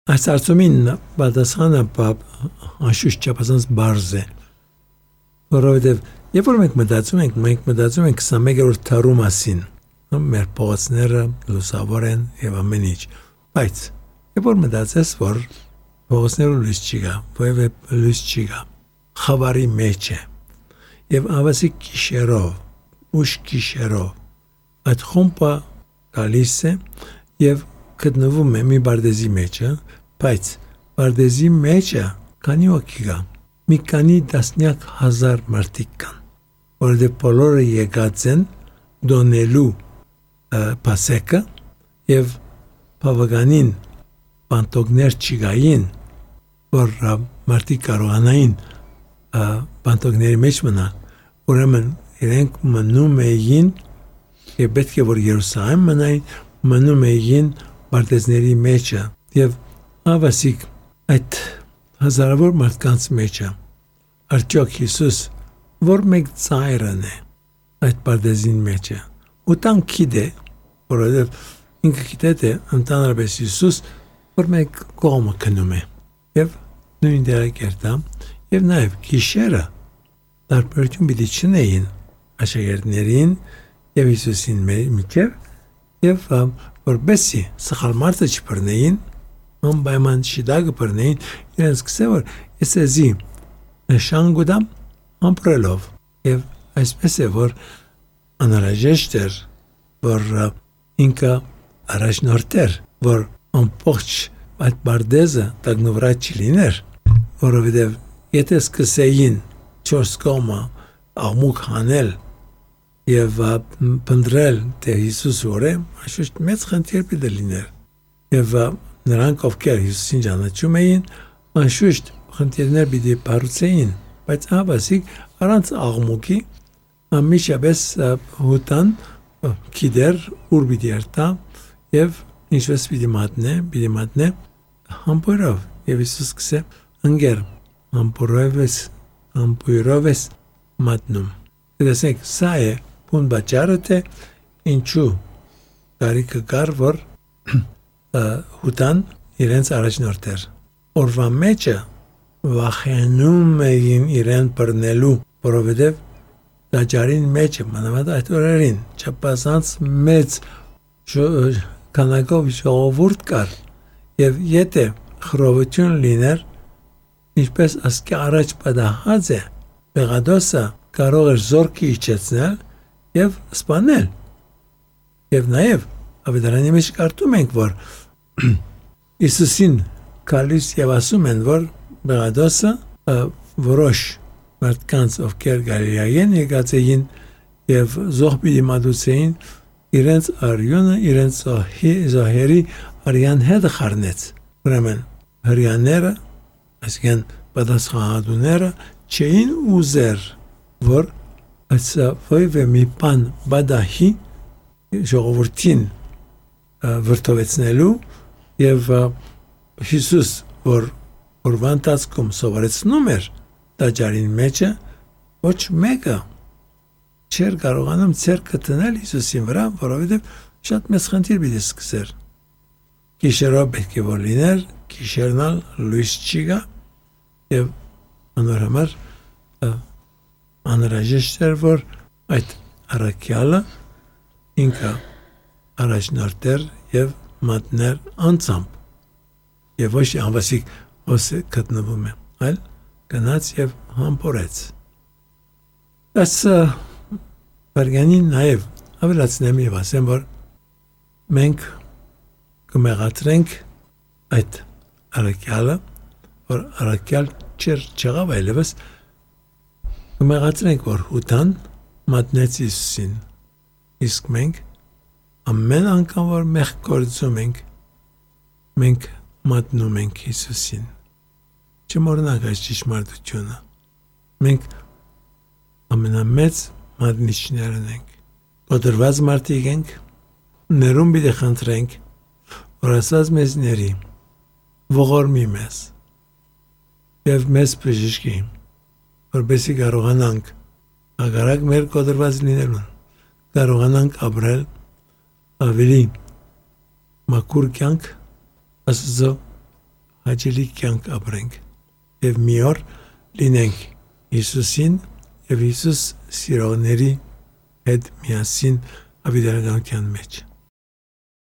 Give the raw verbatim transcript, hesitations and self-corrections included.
Այս հարցումին պատասխանը անշուշտ չափազանց բարձ է, որովհետև երբ որ մենք մտածում ենք, մենք մտածում ենք քսանմեկերորդ դարու մասին, մեր փողոցները լուսավոր են եւ ամեն ինչ, բայց երբ որ մտածես, որ փողոցներում լույս չի գա, որևէ լույս չի գա, խավարի մեջ է, եւ ավասի գիշերով, ուշ գիշերով, այդ խումբը գալիս է եւ գտնվում է մի բարդեզի մեջ, բայց բարդեզի մեջը քանի հոգի կա, մի քանի տասնյակ հազար մարդիկ կան, որովհետև բոլորը եկած են դոնելու պասեկը եւ բավականին բանտոգներ չգային, որ մարդիկ կարողանային բանտոգների մեջ մնալ, ուրեմն իրենք մնում էին եւ պետք է որ Երուսաղեմ մնային, մնում էին բարդեզների մեջը եւ ավասիկ այդ հազարավոր մարդկանց մեջը արդյոք Հիսուս որ մեկ ծայրն է այդ բարդեզին մեջը ու տան գիտե որովհետև ինքը գիտե թե ընդհանրապես Հիսուս որ մեկ կողմը քնում է եւ նույն դերակերտա եւ նաեւ գիշերը տարբերություն պիտի չնեին աշակերտներին եւ Հիսուսին միջեւ եւ որբեսի սխալ մարդը չբռնեին անպայման շիդագը բռնեին իրենց կսե որ ես էզի նշան գուդամ ամպրելով եւ այսպես է որ անհրաժեշտ էր որ ինքը առաջնորդեր որ ամբողջ այդ բարդեզը տագնվրա չլիներ որովհետեւ եթե սկսեին չորս կողմը աղմուկ հանել եւ փնդրել թե Հիսուս որ էաշուտ մեծ խնդիր պիտի լիներ եւ նրանք ովքեր Հիսուսին ճանաչում էին անշուշտ խնդիրներ պիտի բարձեին բայց ավասիկ առանց աղմուկի ամիջապես հուտան գիտեր ուր պիտի երթա եւ ինչպես պիտի մատնե պիտի մատնե համբուրով եւ Հիսուս կսե ընկեր համբուրովես համբուրովես մատնում դեսեք սա է բուն բաճարը թե ինչու կարիքը կար որ հուտան իրենց առաջնորդեր օրվա մեջը վախենում էին իրեն բռնելու որովհետև դաջարին մեջը մանավանդ այդ օրերին չափազանց մեծ քանակով ժողովուրդ կար եւ եթե խռովություն լիներ ինչպես ասկի առաջ պատահած է Պեղադոսը կարող էր զորքի իջեցնել եւ սպանել եւ նաեւ ավետարանի մեջ կարդում ենք որ Իսուսին կալիս եւ ասում են որ Պեղադոսը որոշ մարդկանց ովքեր Գալիլեայեն եկած էին եւ զոհբի մատուցեին իրենց արյունը իրենց զոհերի արյան հետ խառնեց ուրեմն հрьяաները այսինքն պատասխանատուները չէին ուզեր որ այսա ոյվե մի բան բադահի ժողովրդին վրդովեցնելու եւ Հիսուս որ որվանտացքում սովորեցնում էր տաճարին մեջը ոչ մեկը չէր կարողանում ցերկը տնել Հիսուսին վրա որովհետեւ շատ մեծ խնդիր պիտի սկսեր գիշերով պետք է որ լիներ գիշերնալ լույս չի գա եւ անորամար անհրաժեշտ էր որ այդ առաքյալը ինքը առաջնորդեր եւ մատներ անցամբ եւ ոչ անվասիկ ոսը գտնվում է այլ գնաց եւ համբորեց այս բարգանին նաեւ ավելացնեմ եւ ասեմ որ մենք կմեղատրենք այդ առաքյալը որ առաքյալ չեր չեղավ այլևս կմեղատրենք որ հուտան մատնեց Հիսուսին իսկ մենք ամեն անգամ որ մեղ գործում ենք մենք մատնում ենք Հիսուսին չմոռանանք այս ճշմարտությունը մենք ամենամեծ մատնիչներն ենք կոտրված մարդիկ ենք ներում պիտի խնդրենք որ ասած մեզների ողորմի մեզ եւ մեզ բժշկի որպեսզի կարողանանք ագարակ մեր կոտրված լինելուն կարողանանք ապրել ավելի մաքուր կյանք Աստծո հաճելի կյանք ապրենք եւ մի օր լինենք Հիսուսին եւ Հիսուս սիրողների հետ միասին ավետարանության մեջ